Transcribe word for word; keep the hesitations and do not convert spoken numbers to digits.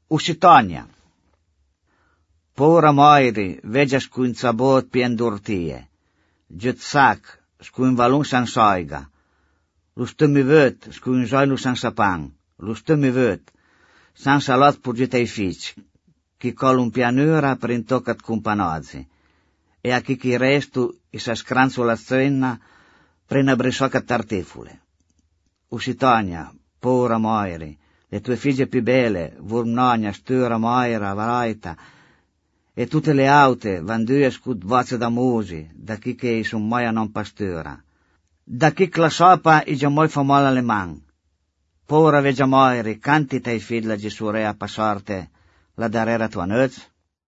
Uscitogna. Pora moiri, vegia scuinzabot pien d'urtie. Giut sac, scuin valun san soiga. Lu stummi vöt, scuin joinu san sapan. Lu stummi vöt, san salot purgit ai fici, chi col un pianura per intoccat cumpanozzi. E a chi chi restu i sa scranzo la zenna prena brisocca tartifule. Uscitogna, pora moiri, le tue figlie più belle, Vurmnogna, Stura, Moira, Varaita, e tutte le aute, vandue scut voce da musi, da chi che son moia non pastura. Da chi la sopa i già moi fa male alle man. Pora vegia moiri, canti tei figlia Gesù a passorte la darera tua nöz.